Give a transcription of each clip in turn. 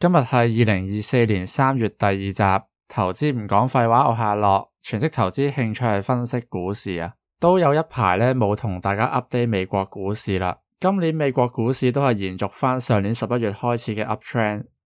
今日係2024年3月第2集，投資唔講廢話，我係阿樂，全職投資興趣係分析股市啊，都有一排呢冇同大家 update 美國股市啦。今年美國股市都係延續翻上年11月開始嘅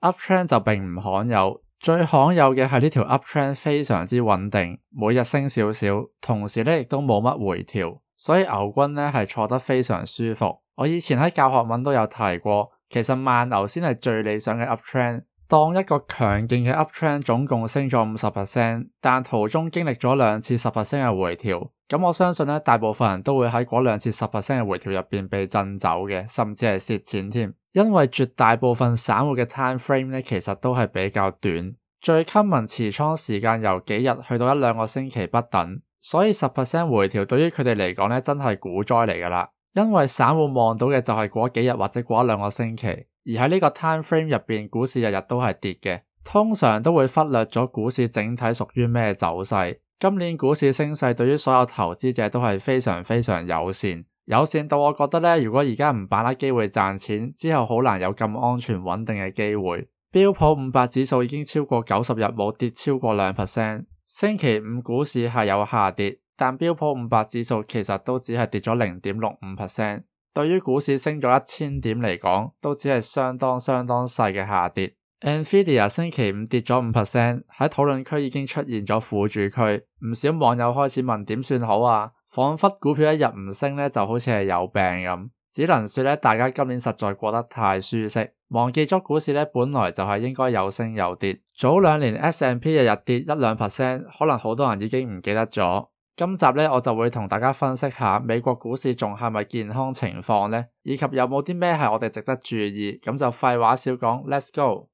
uptrend 就並唔罕有，最罕有嘅係呢條 uptrend 非常之穩定，每日升少少，同時呢亦都冇乜回調，所以牛軍呢係坐得非常舒服。我以前喺教學文都有提過，其實慢牛先係最理想嘅 uptrend， 當一個強勁嘅 uptrend 總共升咗 50%， 但途中經歷咗2次 10% 嘅回調，咁我相信呢大部分人都會喺嗰2次 10% 嘅回調入邊被震走嘅，甚至係蝕錢添，因為絕大部分散戶嘅 time frame 呢其實都係比較短，最 common 持倉時間由幾日去到1-2個星期不等，所以 10% 回調對於佢哋嚟講呢真係股災嚟㗎啦。因為散戶望到嘅就係嗰幾日或者嗰1-2個星期，而喺呢個 time frame 入邊，股市日日都係跌嘅，通常都會忽略咗股市整體屬於咩走勢。今年股市升勢對於所有投資者都係非常非常友善到我覺得呢，如果而家唔把握機會賺錢，之後好難有咁安全穩定嘅機會。標普500指數已經超過90日冇跌超過 2%， 星期五股市係有下跌，但標普500指數其實都只係跌咗 0.65%， 對於股市升咗1000點嚟講，都只係相當細嘅下跌。Nvidia 星期五跌咗 5%， 喺討論區已經出現咗輔助區，唔少網友開始問點算好啊，彷彿股票一日唔升呢就好似係有病咁，只能說呢大家今年實在過得太舒適，忘記咗股市呢本來就係應該有升有跌。早2年 S&P 日日跌 1-2%， 可能好多人已經唔記得咗。今集呢，我就會同大家分析下美國股市仲係咪健康情況呢，以及有冇啲咩係我哋值得注意。咁就廢話少講 ，Let's go。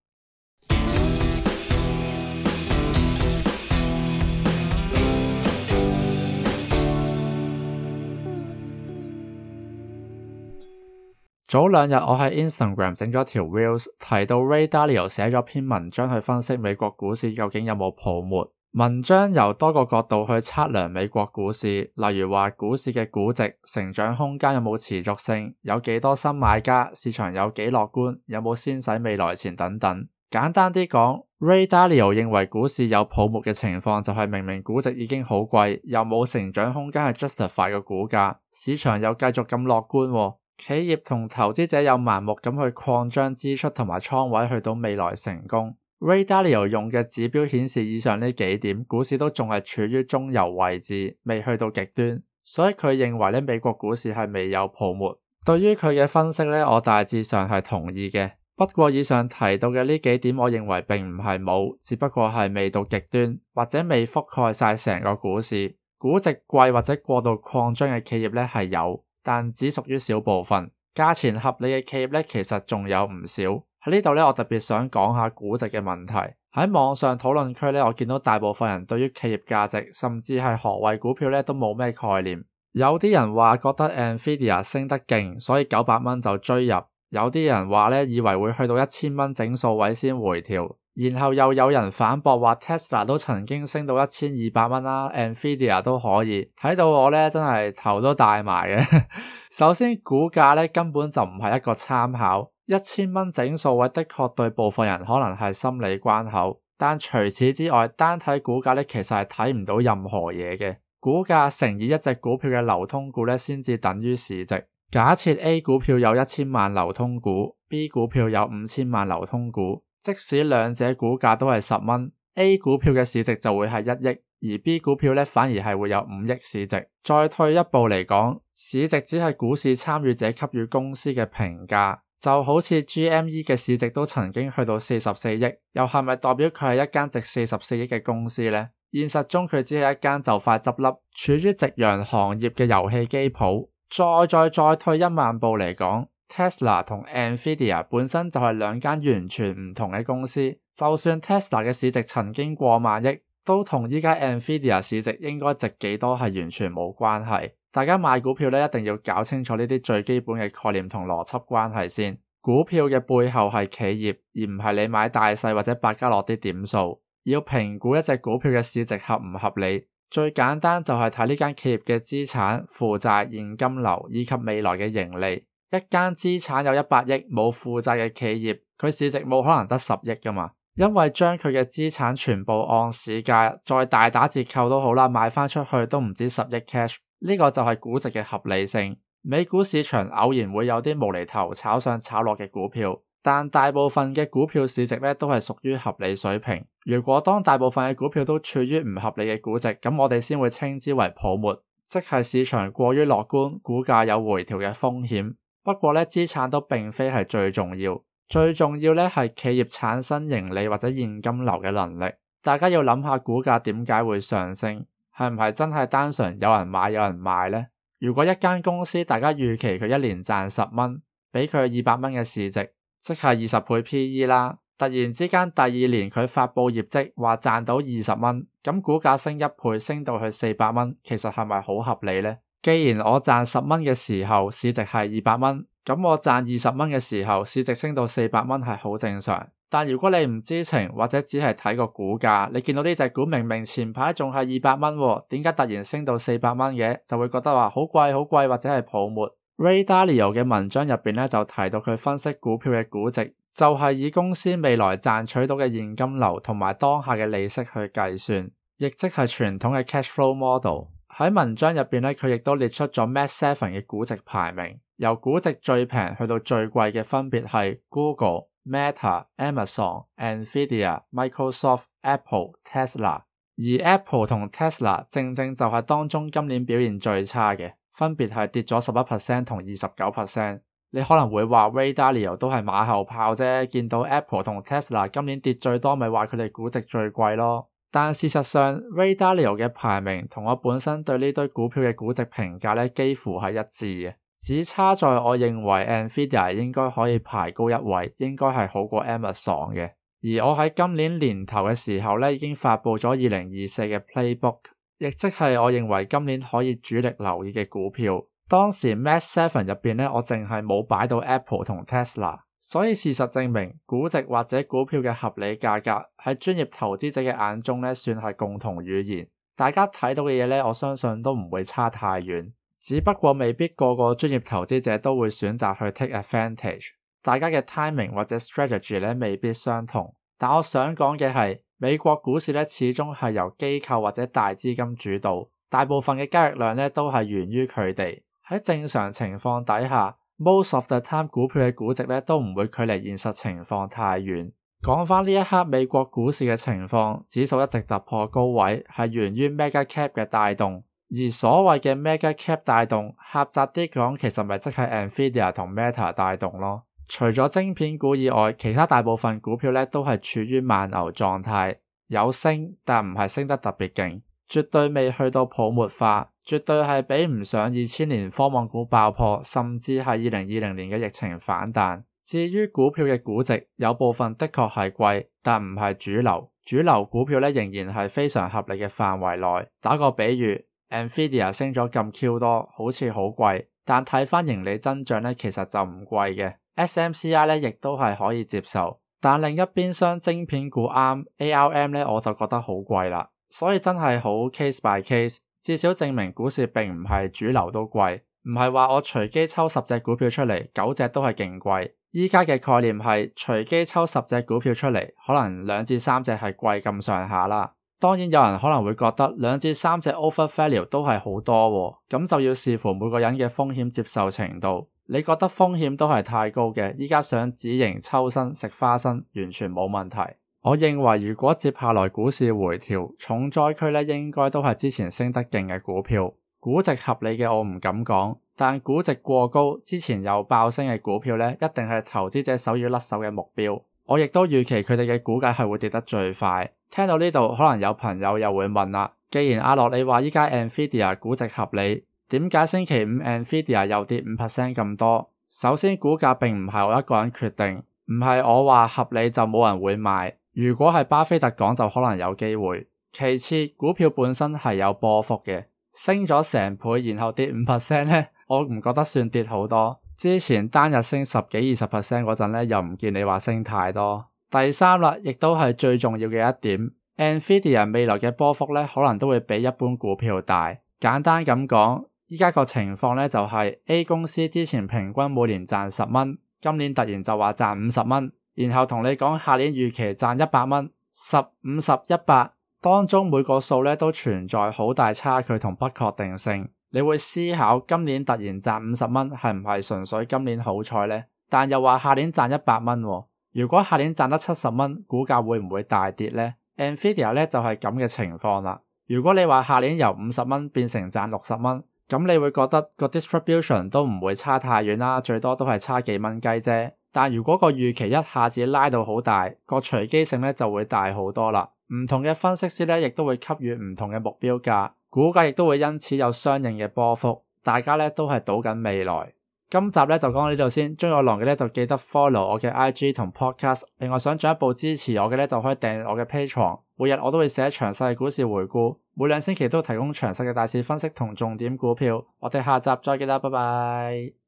早2日我喺 Instagram 整咗條 Reels， 提到 Ray Dalio 寫咗篇文章去分析美國股市究竟有冇泡沫。文章由多個角度去測量美國股市，例如話股市嘅估值、成長空間有冇持續性、有幾多新買家、市場有幾樂觀、有冇先使未來錢等等。簡單啲講， Ray Dalio 認為股市有泡沫嘅情況就係明明估值已經好貴，又冇成長空間去 justify 個股價，市場又繼續咁樂觀，企業同投資者又盲目咁去擴張支出同埋倉位去到未來成功。Ray Dalio 用嘅指標顯示以上呢幾點，股市都仲係處於中游位置，未去到極端，所以佢認為美國股市係未有泡沫。對於佢嘅分析呢，我大致上係同意嘅。不過以上提到嘅呢幾點，我認為並唔係冇，只不過係未到極端，或者未覆蓋晒成個股市。估值貴或者過度擴張嘅企業呢係有，但只屬於小部分。價錢合理嘅企業呢，其實仲有唔少。喺呢度呢，我特別想講下估值嘅問題。喺網上討論區呢，我見到大部分人對於企業價值，甚至係何謂股票呢，都冇咩概念。有啲人話覺得 Nvidia 升得勁，所以900蚊就追入。有啲人話呢，以為會去到1000蚊整數位先回調。然後又有人反駁話 Tesla 都曾經升到1200蚊啦，Nvidia 都可以。睇到我呢，真係頭都大埋嘅。首先股價呢，根本就唔係一個參考。1000蚊整數位的確對部分人可能係心理關口，但除此之外，單睇股價呢，其實係睇唔到任何嘢嘅。股價乘以一隻股票嘅流通股呢，先至等於市值。假設 A 股票有1000萬流通股， B 股票有5000萬流通股，即使兩者股價都係10蚊， A 股票嘅市值就會係1億，而 B 股票呢，反而係會有5億市值。再退一步嚟講，市值只係股市參與者給予公司嘅評價。就好似 GME 嘅市值都曾經去到44億，又係咪代表佢係一間值44億嘅公司呢？現實中佢只係一間就快執笠、處於夕陽行業嘅遊戲機鋪。再退1萬步嚟講， Tesla 同 Nvidia 本身就係兩間完全唔同嘅公司。就算 Tesla 嘅市值曾經過萬億，都同依家 Nvidia 市值應該值幾多係完全冇關係。大家買股票呢，一定要搞清楚呢啲最基本嘅概念同邏輯關係先。股票嘅背後係企業，而唔係你買大細或者百家樂啲點數。要評估一隻股票嘅市值合唔合理，最簡單就係睇呢間企業嘅資產、負債、現金流以及未來嘅盈利。一間資產有100億冇負債嘅企業，佢市值冇可能得10億㗎嘛，因為將佢嘅資產全部按市價再大打折扣都好啦，賣返出去都唔止10億 cash， 呢個就係估值嘅合理性。美股市場偶然會有啲無厘頭炒上炒落嘅股票，但大部分嘅股票市值咧都係屬於合理水平。如果當大部分嘅股票都處於唔合理嘅估值，咁我哋先會稱之為泡沫，即係市場過於樂觀，股價有回調嘅風險。不過咧，資產都並非係最重要，最重要咧係企業產生盈利或者現金流嘅能力。大家要諗下股價點解會上升，係唔係真係單純有人買有人賣呢？如果一間公司大家預期佢一年賺10蚊，俾佢200蚊嘅市值，即係20倍 PE 啦。突然之間第2年佢發佈業績話賺到20蚊，咁股價升1倍，升到去400蚊，其實係咪好合理呢？既然我賺10蚊嘅時候市值係200蚊，咁我賺20蚊嘅時候市值升到400蚊係好正常。但如果你唔知情或者只係睇個股價，你見到呢隻股明明前排仲係200蚊喎，點解突然升到400蚊嘅？就會覺得話好貴好貴，或者係泡沫。Ray Dalio 嘅文章入邊咧就提到佢分析股票嘅估值，就係以公司未來賺取到嘅現金流同埋當下嘅利息去計算，亦即係傳統嘅 cash flow model。喺文章入邊咧，佢亦都列出咗 Mag 7嘅估值排名，由估值最平去到最貴嘅分別係 Google、Meta、Amazon、Nvidia、Microsoft、Apple、Tesla， 而 Apple 同 Tesla 正正就係當中今年表現最差嘅，分別係跌咗11% 同29%。你可能會話 Ray Dalio 都係馬後炮啫，見到 Apple 同 Tesla 今年跌最多，咪話佢哋估值最貴咯。但事實上 Ray Dalio 嘅排名同我本身對呢堆股票嘅估值評價咧幾乎係一致嘅，只差在我認為 Nvidia 應該可以排高一位，應該係好過 Amazon 嘅。而我喺今年年頭嘅時候咧已經發佈咗2024嘅 Playbook， 亦即係我認為今年可以主力留意嘅股票。當時 Mag 7入邊咧我淨係冇擺到 Apple 同 Tesla， 所以事實證明估值或者股票嘅合理價格喺專業投資者嘅眼中咧算係共同語言，大家睇到嘅嘢咧我相信都唔會差太遠，只不過未必個個專業投資者都會選擇去 take advantage， 大家嘅 timing 或者 strategy 咧未必相同。但我想講嘅係美國股市咧始終係由機構或者大資金主導，大部分嘅交易量咧都係源於佢哋。喺正常情況底下 most of the time 股票嘅估值咧都唔會距離現實情況太遠。講返呢一刻美國股市嘅情況，指數一直突破高位係源於 mega cap 嘅帶動，而所謂嘅 mega cap 帶動狹窄啲講其實咪即係 Nvidia 同 Meta 帶動咯。除咗晶片股以外，其他大部分股票咧都係處於慢牛狀態，有升但唔係升得特別勁，絕對未去到泡沫化，絕對係比唔上2000年科網股爆破，甚至係2020年嘅疫情反彈。至於股票嘅估值，有部分的確係貴，但唔係主流。主流股票咧仍然係非常合理嘅範圍內。打個比喻 ，Nvidia 升咗咁 Q 多，好似好貴，但睇返盈利增長咧，其實就唔貴嘅。SMCI 咧亦都係可以接受，但另一邊廂晶片股啱 ARM 咧我就覺得好貴啦。所以真係好 case by case， 至少證明股市並唔係主流都貴，唔係話我隨機抽10隻股票出嚟，9隻都係勁貴。依家嘅概念係隨機抽10隻股票出嚟，可能2至3隻係貴咁上下啦。當然有人可能會覺得2至3隻 overvalue 都係好多喎，咁就要視乎每個人嘅風險接受程度。你覺得風險都係太高嘅，依家想止盈抽身食花生完全冇問題。我認為如果接下來股市回調，重災區咧應該都係之前升得勁嘅股票。估值合理嘅我唔敢講，但估值過高之前有爆升嘅股票咧，一定係投資者首要甩手嘅目標。我亦都預期佢哋嘅股價係會跌得最快。聽到呢度可能有朋友又會問啦，既然阿樂你話依家 Nvidia 估值合理，點解星期五 Nvidia 又跌5% 咁多？首先股價並唔係我一個人決定，唔係我話合理就冇人會買。如果係巴菲特講就可能有機會。其次股票本身係有波幅嘅，升咗成倍然後跌5% 咧，我唔覺得算跌好多。之前單日升10幾20% 嗰陣咧，又唔見你話升太多。第三啦，亦都係最重要嘅一點， Nvidia 未來嘅波幅咧可能都會比一般股票大。簡單咁講，依家個情況呢，就係 A 公司之前平均每年賺10蚊，今年突然就話賺50蚊，然後同你講下年預期賺100蚊，10、50、100當中每個數呢都存在好大差距同不確定性。你會思考今年突然賺50蚊係唔係純粹今年好彩呢？但又話下年賺100蚊喎，如果下年賺得70蚊，股價會唔會大跌呢？ Nvidia 呢就係咁嘅情況啦。如果你話下年由50蚊變成賺60蚊，咁你會覺得個 distribution 都唔會差太遠啦，最多都係差幾蚊雞啫。但如果個預期一下子拉到好大，個隨機性呢就會大好多啦。唔同嘅分析師呢亦都會給予唔同嘅目標價，股價亦都會因此有相應嘅波幅。大家呢都係賭緊未來。今集呢就講到呢度先，鍾意我嘅呢就記得 follow 我嘅 IG 同 podcast。另外想進一步支持我嘅呢就可以訂閱我嘅 Patreon。每日我都會寫詳細嘅股市回顧，每2星期都提供詳細嘅大市分析同重點股票。我哋下集再見啦，拜拜。